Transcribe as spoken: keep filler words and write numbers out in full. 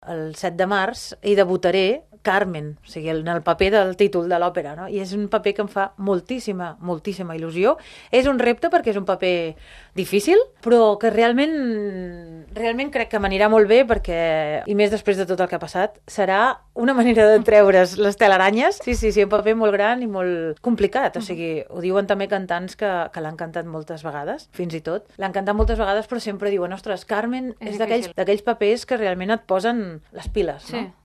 el set de març i debutaré Carmen, o sigui, en el paper del títol de l'òpera, no? I és un paper que em fa moltíssima, moltíssima il·lusió. És un repte perquè és un paper difícil, però que realment, realment crec que m'anirà molt bé perquè, i més després de tot el que ha passat, serà una manera de treure's les telaranyes. Sí, sí, sí, un paper molt gran i molt complicat, o sigui, ho diuen també cantants que, que l'han cantat moltes vegades, fins i tot. L'han cantat moltes vegades, però sempre diuen, ostres, Carmen és, és d'aquells, d'aquells papers que realment et posen les piles, sí. no?